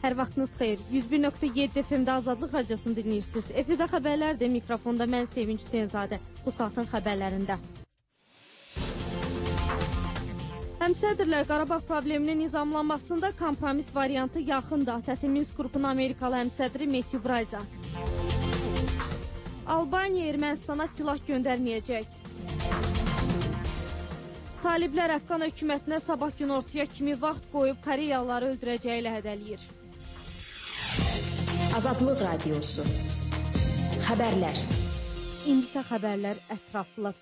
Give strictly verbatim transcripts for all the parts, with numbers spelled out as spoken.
Hər vaxtınız xeyir. yüz bir nöqtə yeddi F M-də Azadlıq Radiosunu dinləyirsiniz. Efirdə xəbərlərdir. Mikrofonda mən Sevinç Hüseynzadə. Bu saatın xəbərlərində. Həmsədrlər Qarabağ probleminin nizamlanmasında kompromis variantı yaxındır. ATƏT Minsk qrupunun Amerikalı həmsədri Matthew Brayza. Albaniya Ermənistana silah göndərməyəcək. Taliblər Əfqan hökumətinə sabah günortaya kimi vaxt qoyub Koreyalıları öldürəcəyi ilə hədələyir. Azadlıq Radiosu. Xəbərlər. İndi isə xəbərlər ətraflı.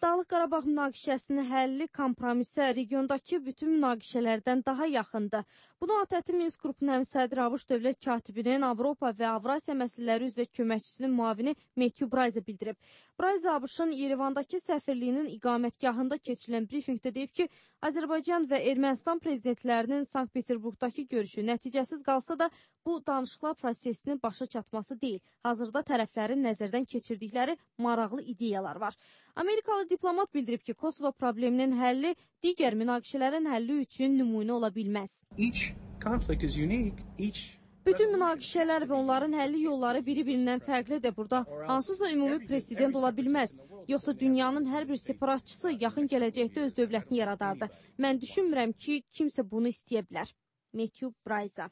Dağlıq Qarabağ münaqişəsinin həlli kompromisə regiondakı bütün münaqişələrdən daha yaxındır. Bunu ATƏT Minsk qrupunun həmsədri ABŞ dövlət katibinin Avropa və Avrasiya məsələləri üzrə köməkçisinin müavini Matthew Brayza bildirib. Brayza ABŞ-ın Yerevandakı səfirliyinin iqamətgahında keçirilən brifinqdə deyib ki, Azərbaycan və Ermənistan prezidentlərinin Sankt-Peterburqdakı görüşü nəticəsiz qalsa da bu danışıqlar prosesinin başa çatması deyil. Hazırda tərəflərin nəzərdən keçirdikləri maraqlı ideyalar var. Amerikalı diplomat bildirib ki, Kosovo probleminin həlli digər münaqişələrin həlli üçün nümunə ola bilməz. Each conflict is unique. Each Bütün münaqişələr və onların həlli yolları biri-birindən fərqlidir. Burada hansısa ümumi prezident ola bilməz. Yoxsa dünyanın hər bir separatçısı yaxın gələcəkdə öz dövlətini yaradardı. Mən düşünmürəm ki, kimsə bunu istəyə bilər. Matthew Brayza.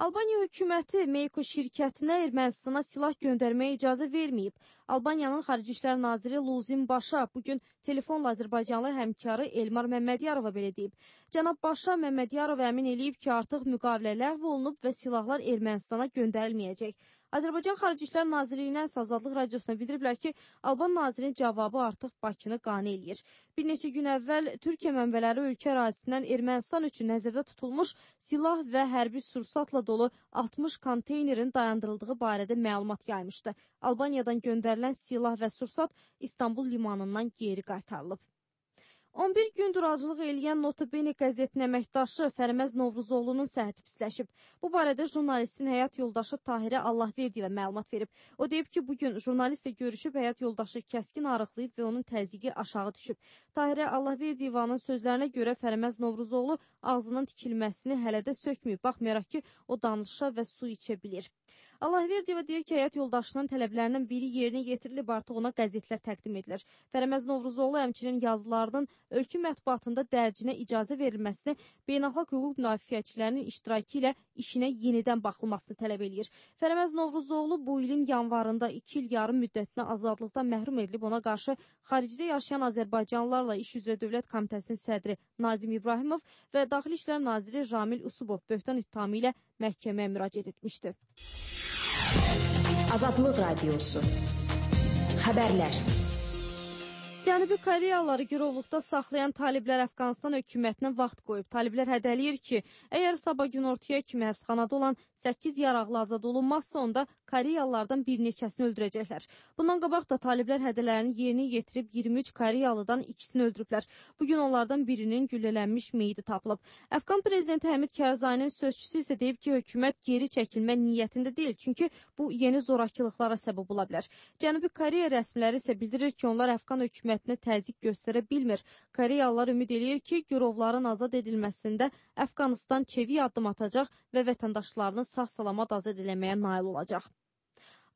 Albaniya hökuməti Meyko şirkətinə Ermənistana silah göndərməyə icazə verməyib. Albaniyanın Xarici İşlər Naziri Luzin Başa bugün telefonla Azərbaycanlı həmkarı Elmar Məmmədiyarova belə deyib. Cənab Başa Məmmədiyarov əmin eləyib ki, artıq müqavilə ləğv olunub və silahlar Ermənistana göndərilməyəcək. Azərbaycan Xarici İşlər Nazirliyindən Azadlıq Radiosuna bildiriblər ki, Alban nazirinin cavabı artıq Bakını qane eləyir. Bir neçə gün əvvəl Türkiyə mənbələri ölkə ərazisindən Ermənistan üçün nəzərdə tutulmuş silah və hərbi sursatla dolu altmış konteynerin dayandırıldığı barədə məlumat yaymışdı. Albaniyadan göndərilən silah və sursat İstanbul limanından geri qaytarılıb. on bir gündür acılıq eləyən Notabene qəzetinin əməkdaşı Fərməz Novruzoğlu'nun səhhəti pisləşib. Bu barədə jurnalistin həyat yoldaşı Tahirə Allahverdiyeva məlumat verib. O deyib ki, bugün jurnalistlə görüşüb həyat yoldaşı kəskin arıqlayıb və onun təzyiqi aşağı düşüb. Tahirə Allahverdiyevanın sözlərinə görə Fərməz Novruzoğlu ağzının tikilməsini hələ də sökməyib, baxmayaraq ki, o danışa və su içə bilir. Allahverdiyeva deyir ki, həyat yoldaşının tələblərindən biri yerinə yetirilib, artıq ona qəzetlər təqdim edilir. Fərməz Novruzoğlu həmçinin yazılarının ölkə mətbuatında dərcinə icazə verilməsini, beynəlxalq hüquq müdafiəçilərinin iştirakı ilə işinə yenidən baxılmasını tələb edir. Fərməz Novruzoğlu bu ilin yanvarında iki il yarım müddətinə azadlıqdan məhrum edilib, ona qarşı xaricdə yaşayan Azərbaycanlılarla İş üzrə Dövlət Komitəsinin sədri Nazim İbrahimov və Daxili İşlər Naziri Ramil Usubov böhtan ittihamı ilə məhkəməyə müraciət etmişdi. Azadlıq Radiosu. Xəbərlər. Cənubi Koreyalıları girovluqda saxlayan taliblər Əfqanistan hökumətinə vaxt qoyub. Taliblər hədələyir ki, əgər sabah günortaya kimi həbsxanada olan səkkiz yaraqlı azad olunmazsa, onda Koreyalılardan bir neçəsini öldürəcəklər. Bundan qabaq da taliblər hədələrini yerinə yetirib iyirmi üç Koreyalıdan ikisini öldürüblər. Bugün onlardan birinin güllələnmiş meyidi tapılıb. Əfqan prezidenti Həmid Kərzayinin sözçüsü isə deyib ki, hökumət geri çəkilmə niyyətində deyil, çünki bu yeni zorakılıqlara səbəb ola bilər. Cənubi Koreya rəsmiləri isə bildirir ki, onlar Əfqan hökumətinə təzyiq göstərə bilmir. Koreyalılar ümid eləyir ki, girovların azad edilməsində Əfqanistan çevik addım atacaq və vətəndaşlarını sağ-salamat azad eləməyə nail olacaq.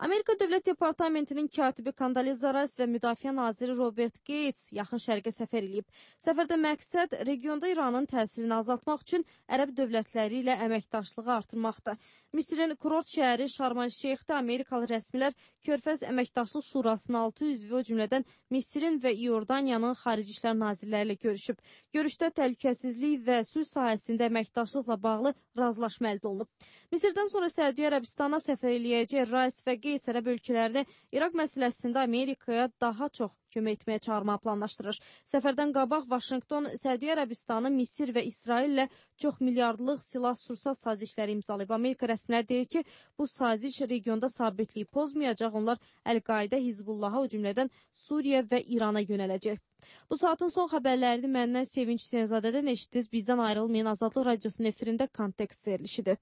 Amerika Dövlət Departamentinin katibi Kondoliza Rice və Müdafiə naziri Robert Gates yaxın şərqə səfər edib. Səfərdə məqsəd regionda İranın təsirini azaltmaq üçün ərəb dövlətləri ilə əməkdaşlığı artırmaqdır. Misirin kurort şəhəri Şarm-el-Şeyxdə Amerikalı rəsmilər Körfəz Əməkdaşlıq Şurasının altı üzvü, o cümlədən Misirin və İordaniyanın xarici işlər nazirləri ilə görüşüb. Görüşdə təhlükəsizlik və sülh sahəsində əməkdaşlıqla bağlı razılaşma əldə olunub. Misirdən sonra Səudiyyə Ərəbistana səfər eləyəcək Rice və Gates ərəb ölkələrini İraq məsələsində Amerikaya daha çox kömək etməyə çağırmağı planlaşdırır. Səfərdən qabaq Vaşinqton, Səudiyyə Ərəbistanı, Misir və İsrail ilə çox milyardlıq silah-sursat sazişləri imzalayıb. Amerika rəsmiləri deyir ki, bu saziş regionda sabitliyi pozmayacaq, onlar Əl-Qaidə, Hizbullaha, o cümlədən Suriyə və İrana yönələcək. Bu saatın son xəbərlərini məndən Sevinç Hüseynzadədən eşitdiniz. Bizdən ayrılmayın. Azadlıq Radiosunun efirində kontekst verilişidir.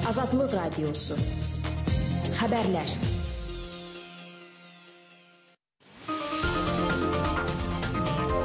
Azadlıq Radiosu. Xəbərlər.